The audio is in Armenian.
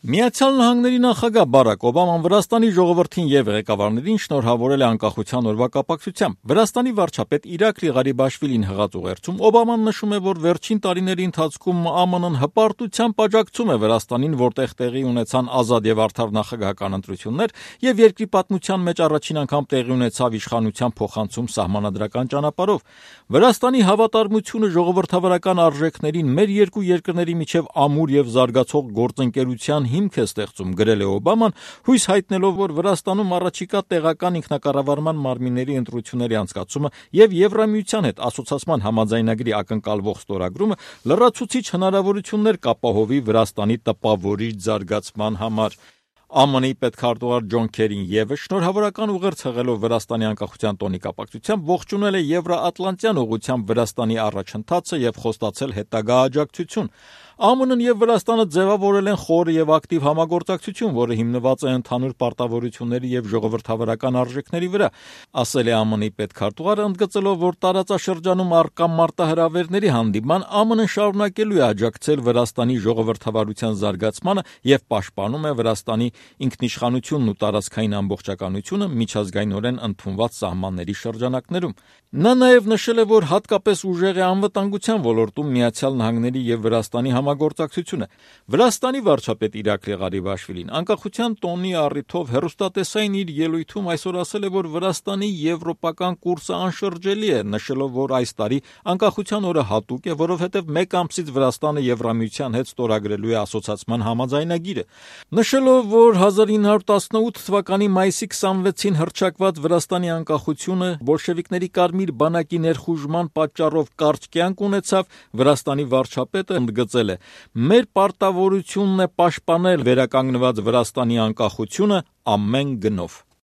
Միացյալ Նահանգների նախագահ Բարաք Օբաման Վրաստանի ժողովրդին եւ ղեկավարներին շնորհավորել է անկախության օրվա կապակցությամբ։ Վրաստանի վարչապետ Իրակլի Ղարիբաշվիլին հղած ուղերձում Օբաման նշում է, որ վերջին տարիների ընթացքում ԱՄՆ-ն հպարտությամբ աջակցում է Վրաստանին, որտեղ տեղի ունեցան ազատ եւ արդար նախագահական ընտրություններ եւ երկրի պատմության մեջ առաջին անգամ տեղի ունեցավ իշխանության փոխանցում սահմանադրական ճանապարհով։ Վրաստանի հավատարմությունը ժողովրդավարական արժեքներին մեր երկու երկրների միջև ամուր եւ զարգացող գործընկերության հիմք է ստեղծում, գրել է Օբաման, հույս հայտնելով, որ Վրաստանում առաջիկա տեղական ինքնակառավարման մարմինների ընտրությունների անցկացումը եւ Եվրամիության հետ ասոցիացիան համաձայնագրի ակնկալվող ստորագրումը լրացուցիչ հնարավորություններ կապահովի Վրաստանի տպավորիչ զարգացման համար։ ԱՄՆ-ի պետքարտուղար Ջոն Քերին ևս շնորհավորական ուղերձ հղելով Վրաստանի անկախության տոնի կապակցությամբ ողջունել է Եվրաատլանտյան ուղղությամբ Վրաստանի առաջընթացը եւ խոստացել հետագա աջակցություն։ ԱՄՆ-ն եւ Վրաստանը ձևավորել են խոր եւ ակտիվ համագործակցություն, որը հիմնված է ընդհանուր պարտավորությունների եւ ժողովրդավարական արժեքների վրա, ասել է ԱՄՆ-ի պետքարտուղարը, ընդգծելով, որ տարածաշրջանում առկա մարտահրավերների հանդիման ԱՄՆ-ն շարունակելու է աջակցել Վրաստանի ժողովրդավարության զարգացմանը եւ պաշտպանում է Վրաստանի ինքնիշխանությունն ու տարածքային ամբողջականությունը միջազգայինորեն ընդունված սահմանների շրջանակներում։ Նա նաեւ նշել է, որ հատկապես ուժեղ է անվտանգության ոլորտում Միացյալ Նահանգների եւ Վրաստանի համագործակցությունը։ Վրաստանի վարչապետ Իրակլի Ղարիբաշվիլին անկախության տոնի առիթով հեռուստատեսային իր ելույթում այսօր ասել է, որ Վրաստանի եվրոպական կուրսը անշրջելի է, նշելով, որ այս տարի անկախության օրը հատուկ է, որովհետև մեկ ամսից Վրաստանը Եվրամիության հետ ստորագրելու է ասոցիացիան համաձայնագիրը։ Նշելով, որ 1918 թվականի մայիսի 26-ին հռչակված Վրաստանի անկախությունը բոլշևիկների կարմիր բանակի ներխուժման պատճառով կարճ կյանք ունեցավ, Վրաստանի վարչապետը ընդգծել է. «Մեր պարտավորությունն է պաշտպանել վերականգնված Վրաստանի անկախությունը ամեն գնով»։